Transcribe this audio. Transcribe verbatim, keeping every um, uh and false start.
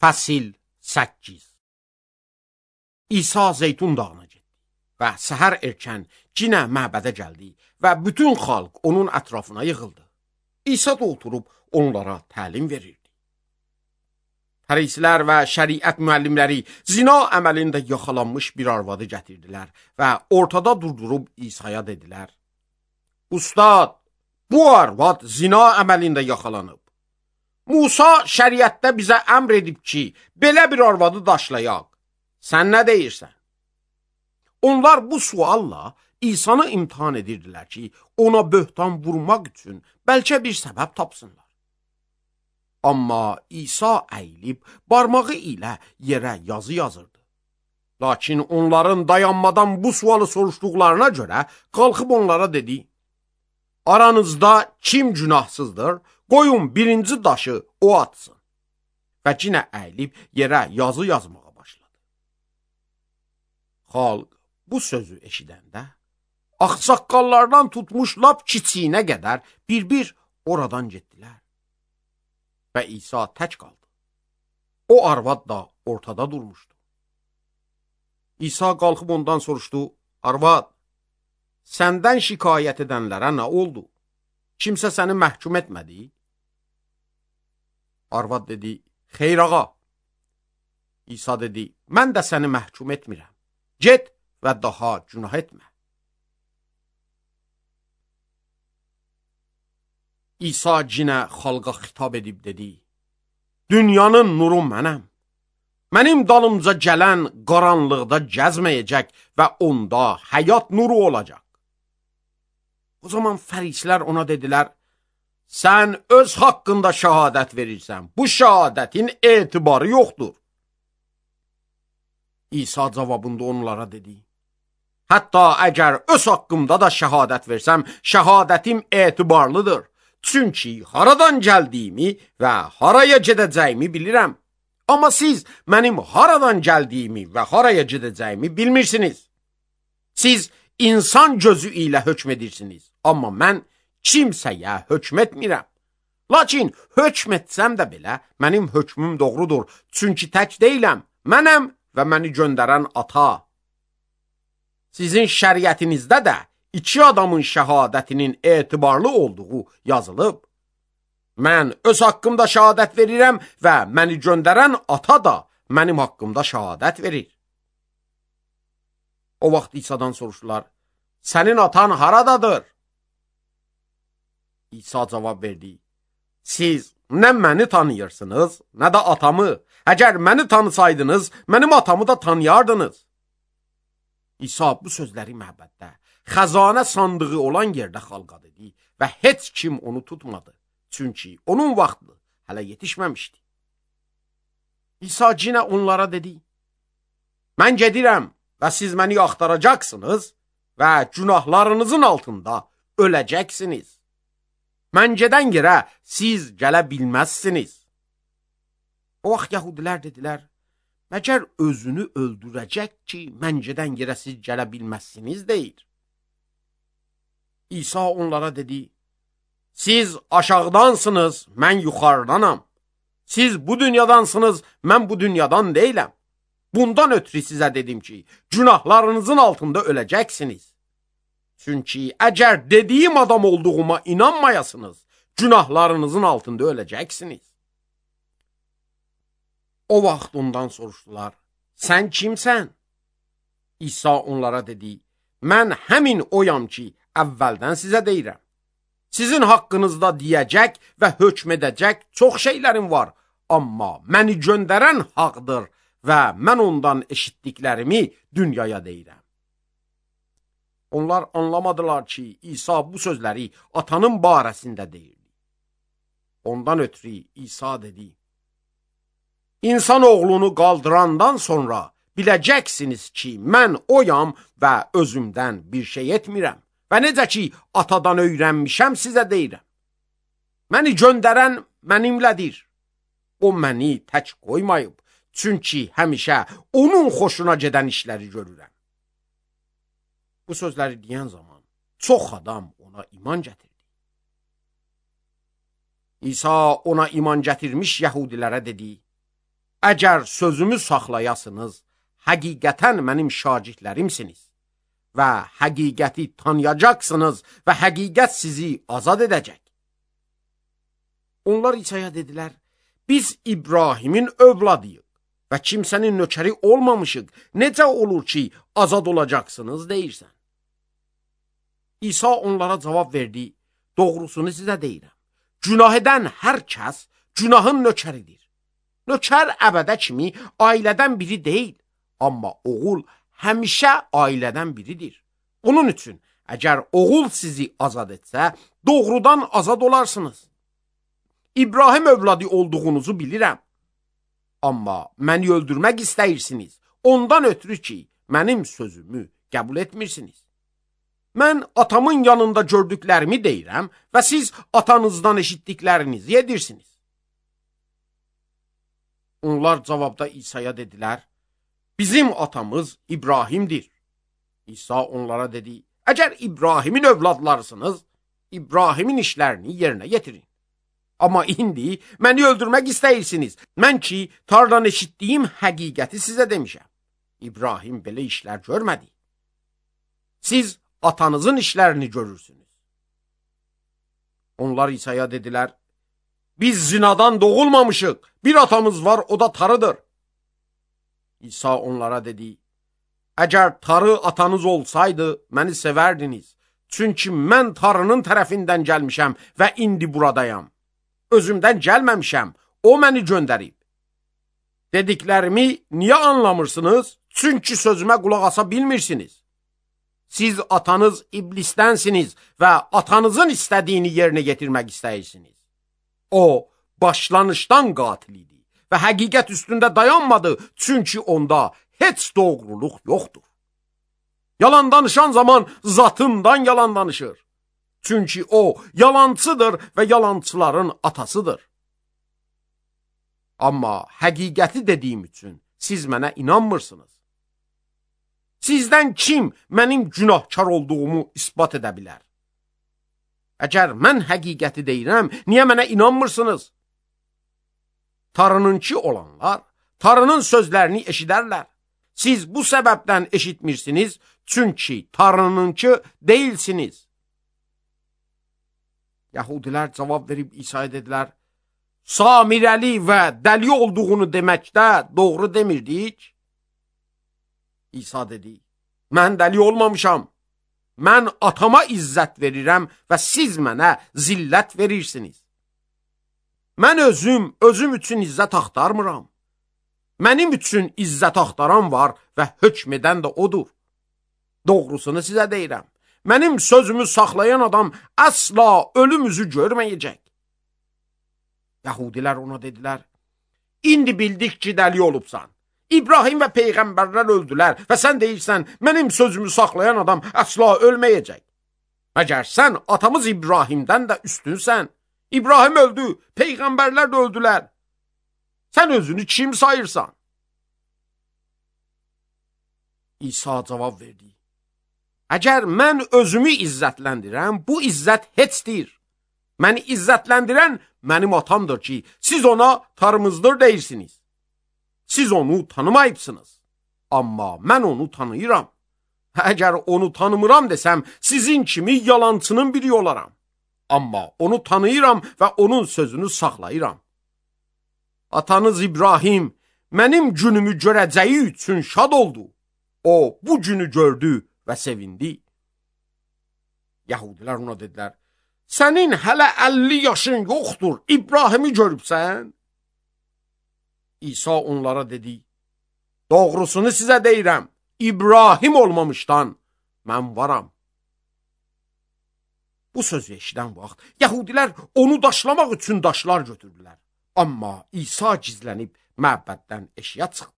Fəsil səkkiz. İsa Zeytun dağına getdi və səhər erkən cinə məbədə gəldi və bütün xalq onun ətrafına yığıldı. İsa da oturub onlara təlim verirdi. Fərisilər və şəriət müəllimləri zina əməlində yaxalanmış bir arvadı gətirdilər və ortada durdurub İsa'ya dedilər: Ustad, bu arvad zina əməlində yaxalanıb. Musa şəriətdə bizə əmr edib ki, belə bir arvadı daşlayaq. Sən nə deyirsən? Onlar bu sualla İsa'nı imtihan edirdilər ki, ona böhtan vurmaq üçün bəlkə bir səbəb tapsınlar. Amma İsa əyilib barmağı ilə yerə yazı yazırdı. Lakin onların dayanmadan bu sualı soruşduqlarına görə qalxıb onlara dedi: Aranızda kim günahsızdır? Qoyun birinci daşı o atsın. Və cinə əyilib yerə yazı yazmağa başladı. Xalq bu sözü eşidəndə ağsaqqallardan tutmuş lap kiçiyinə qədər bir-bir oradan getdilər. Və İsa tək qaldı. O arvad da ortada durmuşdu. İsa qalxıb ondan soruşdu: Arvad, səndən şikayət edənlərə nə oldu? Kimsə səni məhkum etmədi? Arvad dedi: Xeyr ağa. İsa dedi: Mən də səni məhkum etmirəm. Get və daha günah etmə. İsa cinə xalqa xitab edib dedi: Dünyanın nuru mənəm. Mənim dalımca gələn qaranlıqda gəzməyəcək və onda həyat nuru olacaq. O zaman fərisilər ona dedilər: Sən öz haqqında şəhadət verirsən. Bu şəhadətin etibarı yoxdur. İsa cavabında onlara dedi: Hətta əgər öz haqqımda da şəhadət versəm, şəhadətim etibarlıdır. Çünki haradan gəldiyimi və haraya gedəcəyimi bilirəm. Amma siz mənim haradan gəldiyimi və haraya gedəcəyimi bilmirsiniz. Siz insan gözü ilə hökm edirsiniz. Amma mən kimsəyə hökm etmirəm. Lakin hökm etsəm də belə mənim hökmüm doğrudur. Çünki tək deyiləm. Mənəm və məni göndərən ata. Sizin şəriətinizdə də iki adamın şəhadətinin etibarlı olduğu yazılıb. Mən öz haqqımda şəhadət verirəm və məni göndərən ata da mənim haqqımda şəhadət verir. O vaxt İsa'dan soruşdular: Sənin atan haradadır? İsa cavab verdi: Siz nə məni tanıyırsınız, nə də atamı. Əgər məni tanısaydınız, mənim atamı da tanıyardınız. İsa bu sözləri məbəddə, xəzanə sandığı olan yerdə xalqa dedi və heç kim onu tutmadı. Çünki onun vaxtı hələ yetişməmişdi. İsa cinə onlara dedi: Mən gedirəm və siz məni axtaracaqsınız və günahlarınızın altında öləcəksiniz. Mən gedən yerə siz gələ bilməzsiniz. O vaxt yəhudilər dedilər: Məgər özünü öldürəcək ki, mən gedən yerə siz gələ bilməzsiniz deyir. İsa onlara dedi: Siz aşağıdansınız, mən yuxarıdanam. Siz bu dünyadansınız, mən bu dünyadan deyiləm. Bundan ötürü sizə dedim ki, günahlarınızın altında öləcəksiniz. Çünki əgər dediyim adam olduğuma inanmayasınız, günahlarınızın altında öləcəksiniz. O vaxt ondan soruşdular: Sən kimsən? İsa onlara dedi: Mən həmin oyam ki, əvvəldən sizə deyirəm. Sizin haqqınızda deyəcək və hökm edəcək çox şeylərim var, amma məni göndərən haqdır və mən ondan eşitdiklərimi dünyaya deyirəm. Onlar anlamadılar ki, İsa bu sözləri atanın barəsində deyirdi. Ondan ötürü İsa dedi: İnsan oğlunu qaldırandan sonra biləcəksiniz ki, mən oyam və özümdən bir şey etmirəm. Və necə ki, atadan öyrənmişəm, sizə deyirəm. Məni göndərən mənimlədir. O məni tək qoymayıb, çünki həmişə onun xoşuna gedən işləri görürəm. Bu sözləri deyən zaman çox adam ona iman gətirdi. İsa ona iman gətirmiş yəhudilərə dedi: əgər sözümü saxlayasınız, həqiqətən mənim şagirdlərimsiniz və həqiqəti tanıyacaqsınız və həqiqət sizi azad edəcək. Onlar İsa'ya dedilər, biz İbrahimin övladıyıq və kimsənin nökəri olmamışıq. Necə olur ki, azad olacaqsınız deyirsən? İsa onlara cavab verdi, doğrusunu sizə deyirəm. Günah edən hər kəs günahın nökəridir. Nökər əbədə kimi ailədən biri deyil, amma oğul həmişə ailədən biridir. Onun üçün, əgər oğul sizi azad etsə, doğrudan azad olarsınız. İbrahim övladı olduğunuzu bilirəm. Amma məni öldürmək istəyirsiniz, ondan ötürü ki, mənim sözümü qəbul etmirsiniz. Mən atamın yanında gördüklərimi deyirəm və siz atanızdan eşitdiklərinizi edirsiniz. Onlar cavabda İsa'ya dedilər, bizim atamız İbrahimdir. İsa onlara dedi, əgər İbrahimin övladlarısınız, İbrahimin işlərini yerinə yetirin. Amma indi məni öldürmək istəyirsiniz. Mən ki, tardan eşitdiyim həqiqəti sizə demişəm. İbrahim belə işlər görmədi. Siz atanızın işlərini görürsünüz. Onlar İsa'ya dedilər, biz zinadan doğulmamışıq, bir atamız var, o da tarıdır. İsa onlara dedi, əgər tarı atanız olsaydı, məni sevərdiniz. Çünki mən tarının tərəfindən gəlmişəm və indi buradayam. Özümdən gəlməmişəm, o məni göndərib. Dediklərimi niyə anlamırsınız? Çünki sözümə qulaq asa bilmirsiniz. Siz atanız iblisdənsiniz və atanızın istədiyini yerinə yetirmək istəyirsiniz. O, başlanışdan qatil idi və həqiqət üstündə dayanmadı, çünki onda heç doğruluq yoxdur. Yalan danışan zaman zatından yalan danışır. Çünki o, yalancıdır və yalançıların atasıdır. Amma həqiqəti dediyim üçün siz mənə inanmırsınız. Sizdən kim mənim günahkar olduğumu isbat edə bilər? Əgər mən həqiqəti deyirəm, niyə mənə inanmırsınız? Tarınınki olanlar, tarının sözlərini eşidərlər. Siz bu səbəbdən eşitmirsiniz, çünki tarınınki deyilsiniz. Yahudilər cavab verib İsa'ya dedilər, Samirəli və dəli olduğunu deməkdə doğru demirdik. İsa dedi, mən dəli olmamışam. Mən atama izzət verirəm və siz mənə zillət verirsiniz. Mən özüm, özüm üçün izzət axtarmıram. Mənim üçün izzət axtaran var və hökm edən də odur. Doğrusunu sizə deyirəm. Mənim sözümü saxlayan adam əsla ölüm üzü görməyəcək. Yahudilər ona dedilər, indi bildik ki, dəli olubsan. İbrahim və peyğəmbərlər öldülər və sən deyirsən, mənim sözümü saxlayan adam əsla ölməyəcək. Məgər sən atamız İbrahimdən də üstünsən. İbrahim öldü, peyğəmbərlər də öldülər. Sən özünü kim sayırsan? İsa cavab verdi. Əgər mən özümü izzətləndirəm, bu izzət heçdir. Məni izzətləndirən mənim atamdır ki, siz ona tarımızdır deyirsiniz. Siz onu tanımayıbsınız. Amma mən onu tanıyıram. Əgər onu tanımıram desəm, sizin kimi yalancının biri olaram. Amma onu tanıyıram və onun sözünü saxlayıram. Atanız İbrahim mənim günümü görəcəyi üçün şad oldu. O bu günü gördü və sevindi. Yahudilər ona dedilər, sənin hələ əlli yaşın yoxdur, İbrahimi görübsən? İsa onlara dedi, doğrusunu sizə deyirəm, İbrahim olmamışdan mən varam. Bu sözü eşidən vaxt, Yahudilər onu daşlamaq üçün daşlar götürdülər. Amma İsa gizlənib məbəddən eşiyə çıxdı.